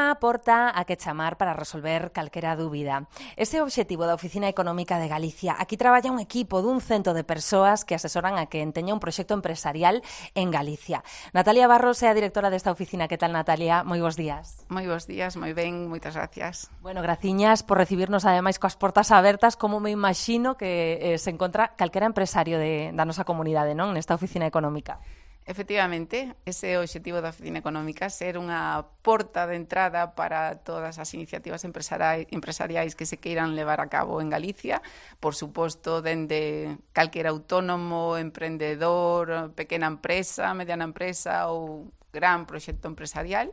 unha porta a que chamar para resolver calquera dúbida. Ese é o obxectivo da Oficina Económica de Galicia. Aquí traballa un equipo dun cento de persoas que asesoran a quen teña un proxecto empresarial en Galicia. Natalia Barros é a directora desta oficina. Que tal, Natalia? Moi bons días. Moi bons días, moi ben, moitas gracias. Bueno, graciñas por recibirnos ademais coas portas abertas, como me imagino que se encontra calquera empresario da nosa comunidade, non? Nesta oficina económica. Efectivamente, ese é o obxectivo da Oficina Económica, ser unha porta de entrada para todas as iniciativas empresariais que se queiran levar a cabo en Galicia, por suposto, dende calquera autónomo, emprendedor, pequena empresa, mediana empresa ou gran proxecto empresarial.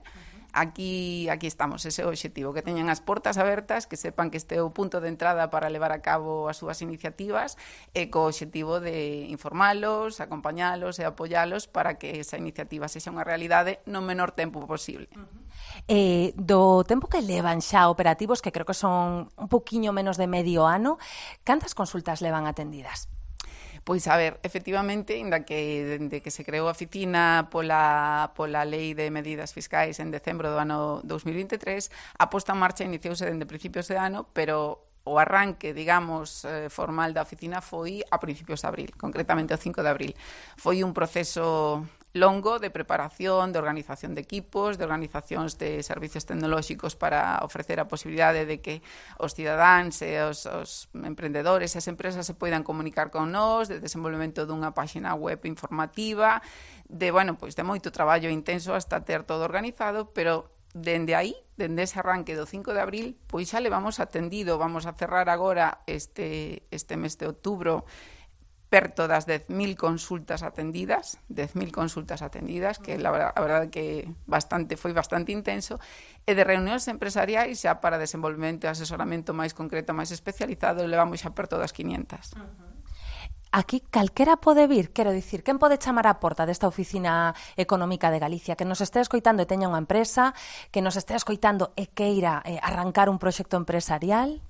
Aquí estamos, ese é o obxectivo, que teñan as portas abertas, que sepan que este é o punto de entrada para levar a cabo as súas iniciativas e co obxectivo de informalos, acompañalos e apoialos para que esa iniciativa sexa unha realidade no menor tempo posible. Do tempo que levan xa operativos, que creo que son un poquinho menos de medio ano, cantas consultas levan atendidas? Pois, a ver, efectivamente, inda que dende que se creou a oficina pola Lei de Medidas Fiscais en decembro do ano 2023, a posta en marcha iniciouse dende principios de ano, pero o arranque, digamos, formal da oficina foi a principios de abril, concretamente o 5 de abril. Foi un proceso longo de preparación, de organización de equipos, de organizacións de servicios tecnolóxicos para ofrecer a posibilidade de que os cidadáns e os emprendedores e as empresas se poidan comunicar con nós, de desenvolvemento dunha páxina web informativa, de moito traballo intenso hasta ter todo organizado, pero dende aí, dende ese arranque do 5 de abril, pois xa levamos atendido, vamos a cerrar agora este mes de outubro, perto das 10.000 consultas atendidas, que a verdade que foi bastante intenso, e de reunións empresariais xa para desenvolvemento e asesoramento máis concreto, máis especializado, levamos xa perto das 500. Aquí calquera pode vir, quero dicir, quen pode chamar á porta desta Oficina Económica de Galicia, que nos este escoitando e teña unha empresa, que nos este escoitando e queira arrancar un proxecto empresarial?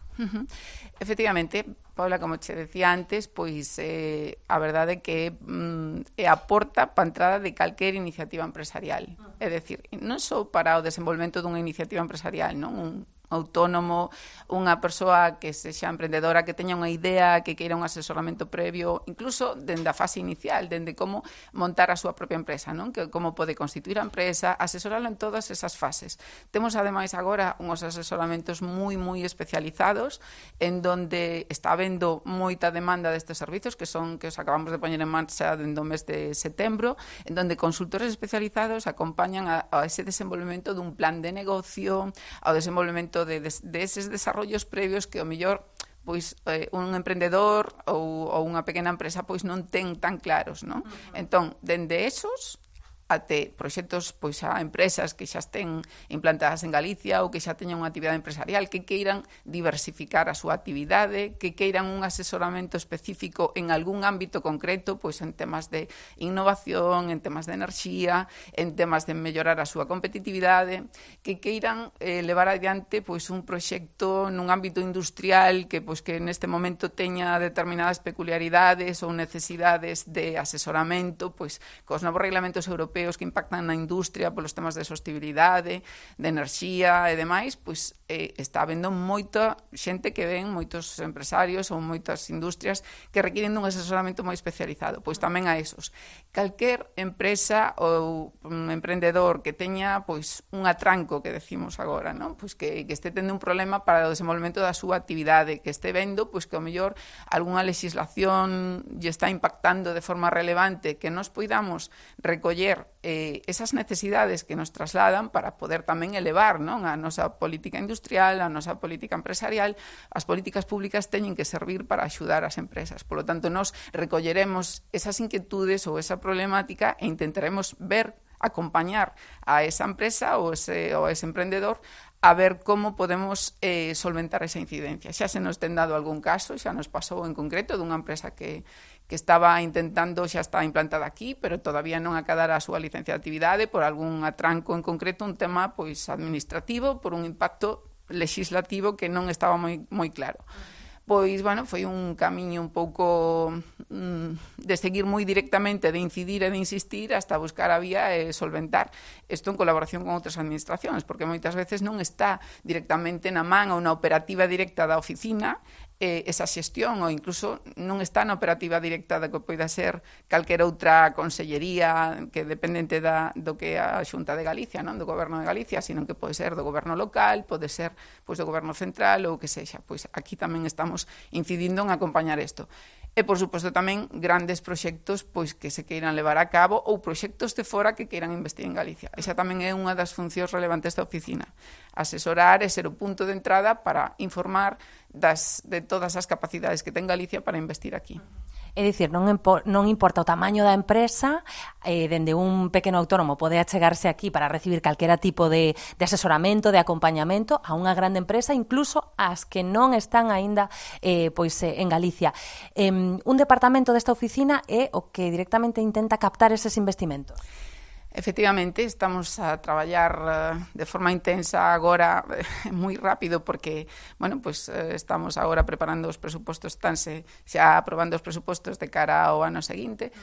Efectivamente, Paula, como che decía antes, pois a verdade que é a porta para a entrada de calquer iniciativa empresarial. É dicir, non só para o desenvolvemento dunha iniciativa empresarial, non? Un autónomo, unha persoa que sexa emprendedora, que teña unha idea, que queira un asesoramento previo, incluso dende a fase inicial, dende como montar a súa propia empresa, non? Que como pode constituir a empresa, asesoralo en todas esas fases. Temos ademais agora uns asesoramentos moi especializados, en donde está habendo moita demanda destes servizos que os acabamos de poñer en marcha dentro do mes de setembro, en donde consultores especializados acompañan a ese desenvolvemento dun plan de negocio, ao desenvolvemento de eses desarrollos previos que o mellor pois un emprendedor ou unha pequena empresa pois non ten tan claros, non? Entón, dende esos até proxectos pois a empresas que xa estén implantadas en Galicia ou que xa teñan unha actividade empresarial, que queiran diversificar a súa actividade, que queiran un asesoramento específico en algún ámbito concreto, pois en temas de innovación, en temas de enerxía, en temas de mellorar a súa competitividade, que queiran levar adiante pois un proxecto nun ámbito industrial que neste momento teña determinadas peculiaridades ou necesidades de asesoramento, pois cos novos reglamentos europeos que impactan na industria polos temas de sostenibilidade, de enerxía e demais, pois está habendo moita xente que ven, moitos empresarios ou moitas industrias que requiren dun asesoramento moi especializado. Pois tamén a esos. Calquer empresa ou emprendedor que teña pois un atranco, que decimos agora, non? Pois que este tendo un problema para o desenvolvemento da súa actividade, que este vendo pois que ao mellor algunha legislación lle está impactando de forma relevante, que nos poidamos recoller esas necesidades que nos trasladan para poder tamén elevar, non, a nosa política industrial, a nosa política empresarial. As políticas públicas teñen que servir para axudar as empresas. Por lo tanto, nos recolleremos esas inquietudes ou esa problemática e intentaremos acompañar a esa empresa ou ese emprendedor a ver como podemos solventar esa incidencia. Xa se nos ten dado algún caso, xa nos pasou en concreto dunha empresa que estaba intentando, xa está implantada aquí, pero todavía non acadara a súa licencia de actividade por algún atranco en concreto, un tema pois administrativo, por un impacto legislativo que non estaba moi claro. Pois, bueno, foi un camiño un pouco de seguir moi directamente, de incidir e de insistir hasta buscar a vía e solventar isto en colaboración con outras administracións, porque moitas veces non está directamente na man ou na operativa directa da oficina esa xestión, ou incluso non está na operativa directa da que poida ser calquera outra consellería que dependente do que a Xunta de Galicia, non do Goberno de Galicia, sino que pode ser do Goberno local, pode ser pois do Goberno central ou que sexa. Pois aquí tamén estamos incidindo en acompañar isto. E, por suposto, tamén grandes proxectos pois que se queiran levar a cabo ou proxectos de fora que queiran investir en Galicia. Esa tamén é unha das funcións relevantes da oficina. Asesorar e ser o punto de entrada para informar de todas as capacidades que ten Galicia para investir aquí. É dicir, non importa o tamaño da empresa, dende un pequeno autónomo pode achegarse aquí para recibir calquera tipo de asesoramento, de acompañamento a unha grande empresa, incluso as que non están aínda en Galicia. Un departamento desta oficina é o que directamente intenta captar eses investimentos. Efectivamente, estamos a traballar de forma intensa agora, moi rápido, porque, bueno, pues estamos agora preparando os presupostos, estanse xa aprobando os presupostos de cara ao ano seguinte,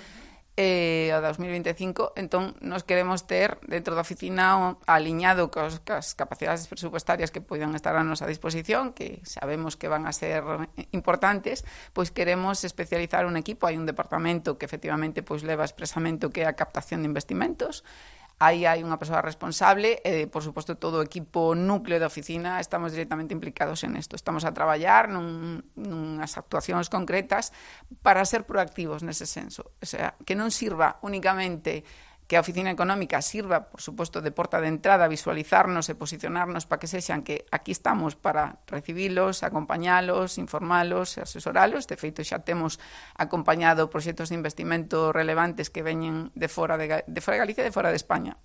ao 2025, entón nos queremos ter dentro da oficina aliñado cas capacidades presupuestarias que poidan estar a nosa disposición, que sabemos que van a ser importantes, pois queremos especializar un equipo. Hai un departamento que efectivamente pois leva expresamente o que é a captación de investimentos. Aí hai unha persoa responsable e, por suposto, todo o equipo núcleo da oficina estamos directamente implicados en isto. Estamos a traballar nunhas actuacións concretas para ser proactivos nese senso. O sea, que non sirva únicamente que a oficina económica sirva, por suposto, de porta de entrada, visualizarnos e posicionarnos para que sexan que aquí estamos para recibilos, acompañalos, informalos, asesoralos. De feito, xa temos acompañado proxectos de investimento relevantes que veñen de fora de Galicia e de fora de España.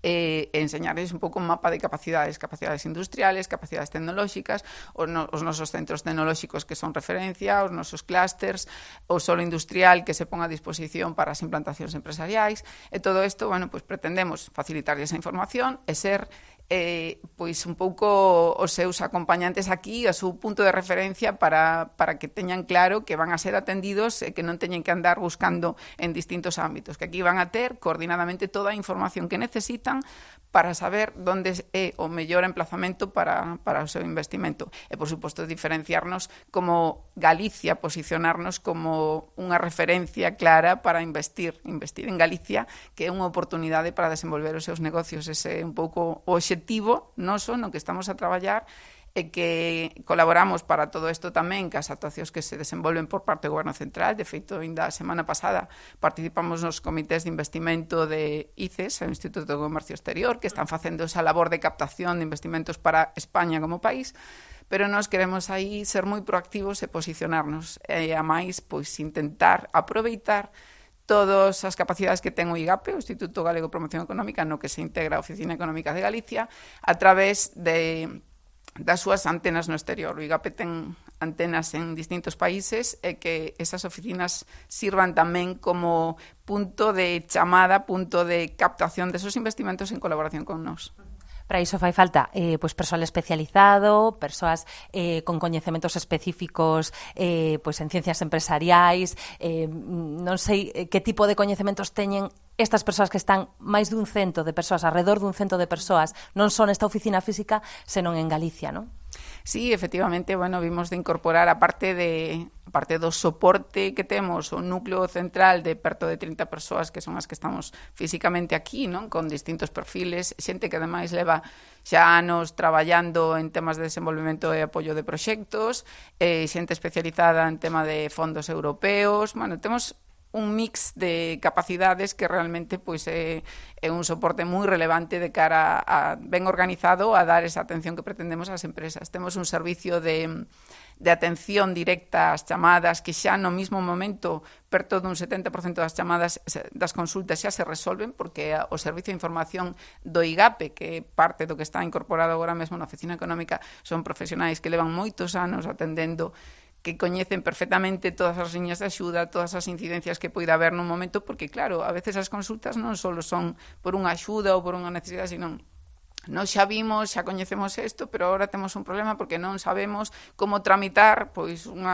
E enseñarles un pouco un mapa de capacidades industriales, capacidades tecnolóxicas, os nosos centros tecnolóxicos que son referencia, os nosos clústers, o solo industrial que se pon a disposición para as implantacións empresariais, e todo isto, bueno, pues pretendemos facilitarles esa información e ser pois un pouco os seus acompañantes aquí, a seu punto de referencia para que teñan claro que van a ser atendidos e que non teñen que andar buscando en distintos ámbitos, que aquí van a ter coordinadamente toda a información que necesitan para saber onde é o mellor emplazamento para o seu investimento. E, por suposto, diferenciarnos como Galicia, posicionarnos como unha referencia clara para investir en Galicia, que é unha oportunidade para desenvolver os seus negocios. Ese é un pouco o obxectivo noso no que estamos a traballar, e que colaboramos para todo isto tamén cas actuacións que se desenvolven por parte do Goberno Central. De feito, ainda a semana pasada participamos nos comités de investimento de ICES, o Instituto de Comercio Exterior, que están facendo esa labor de captación de investimentos para España como país, pero nós queremos aí ser moi proactivos e posicionarnos, e a máis, pois, intentar aproveitar todas as capacidades que ten o IGAPE, o Instituto Galego de Promoción Económica, no que se integra a Oficina Económica de Galicia, a través das súas antenas no exterior. O IGAPE ten antenas en distintos países e que esas oficinas sirvan tamén como punto de chamada, punto de captación desos investimentos en colaboración con nós. Para iso fai falta persoal especializado, persoas con coñecementos específicos en ciencias empresariais, non sei que tipo de coñecementos teñen estas persoas que están máis dun cento de persoas, alrededor dun cento de persoas, non son nesta oficina física, senón en Galicia, non? Sí, efectivamente, bueno, vimos de incorporar, aparte do soporte que temos, o núcleo central de perto de 30 persoas que son as que estamos físicamente aquí, non? Con distintos perfiles, xente que ademais leva xa anos traballando en temas de desenvolvemento e apoio de proxectos, xente especializada en tema de fondos europeos. Bueno, temos un mix de capacidades que realmente pois é un soporte moi relevante de cara a ben organizado a dar esa atención que pretendemos ás empresas. Temos un servicio de atención directa ás chamadas que xa no mismo momento perto dun 70% das chamadas das consultas xa se resolven, porque o Servicio de Información do IGAPE, que é parte do que está incorporado agora mesmo na Oficina Económica, son profesionais que levan moitos anos atendendo, que coñecen perfectamente todas as liñas de axuda, todas as incidencias que poida haber nun momento, porque, claro, a veces as consultas non só son por unha axuda ou por unha necesidade, sino Nós xa vimos, xa coñecemos isto, pero agora temos un problema porque non sabemos como tramitar, pois un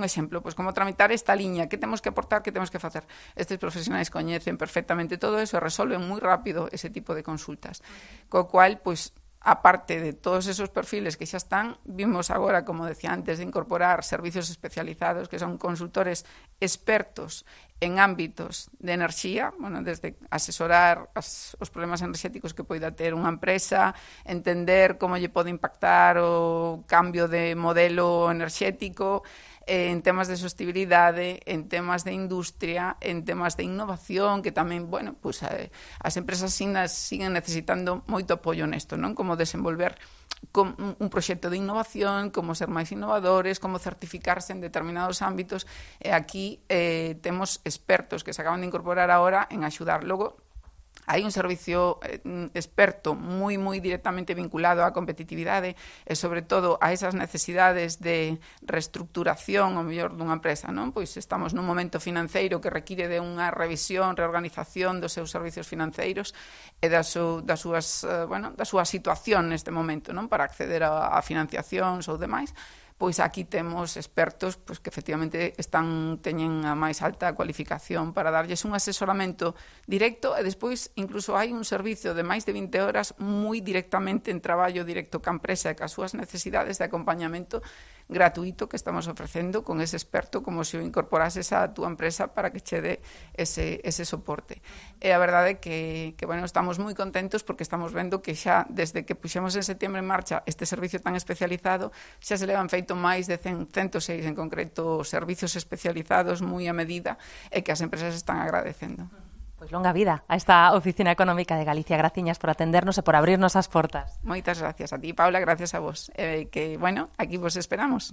exemplo, pois como tramitar esta liña, que temos que aportar, que temos que facer. Estes profesionais coñecen perfectamente todo eso e resolven moi rápido ese tipo de consultas. Co cual, pois, aparte de todos esos perfiles que xa están, vimos agora, como decía antes, de incorporar servicios especializados que son consultores expertos en ámbitos de enerxía, bueno, desde asesorar os problemas enerxéticos que poida ter unha empresa, entender como lle pode impactar o cambio de modelo enerxético, en temas de sostenibilidade, en temas de industria, en temas de innovación, que tamén, bueno, pues, as empresas siguen necesitando moito apoio nesto, non? Como desenvolver un proxecto de innovación, como ser máis innovadores, como certificarse en determinados ámbitos, e aquí temos expertos que se acaban de incorporar ahora en axudar. Logo, hai un servicio experto moi directamente vinculado á competitividade e, sobre todo, a esas necesidades de reestructuración, o mellor, dunha empresa, non? Pois estamos nun momento financeiro que require de unha revisión, reorganización dos seus servicios financeiros e da súa situación neste momento, non? Para acceder a financiacións ou demais. Pois aquí temos expertos pois, que efectivamente teñen a máis alta cualificación para darlles un asesoramento directo e despois incluso hai un servicio de máis de 20 horas moi directamente en traballo directo ca empresa e ca súas necesidades de acompañamento gratuito que estamos ofrecendo con ese experto como se o incorporases a túa empresa para que che dé ese soporte. E a verdade é que bueno, estamos moi contentos porque estamos vendo que xa desde que puxemos en setembro en marcha este servicio tan especializado xa se levan feito máis de 106 en concreto servicios especializados moi a medida e que as empresas están agradecendo. Pois longa vida a esta Oficina Económica de Galicia. Graciñas por atendernos e por abrirnos as portas. Moitas gracias a ti, Paula, gracias a vos. Que, bueno, aquí vos esperamos.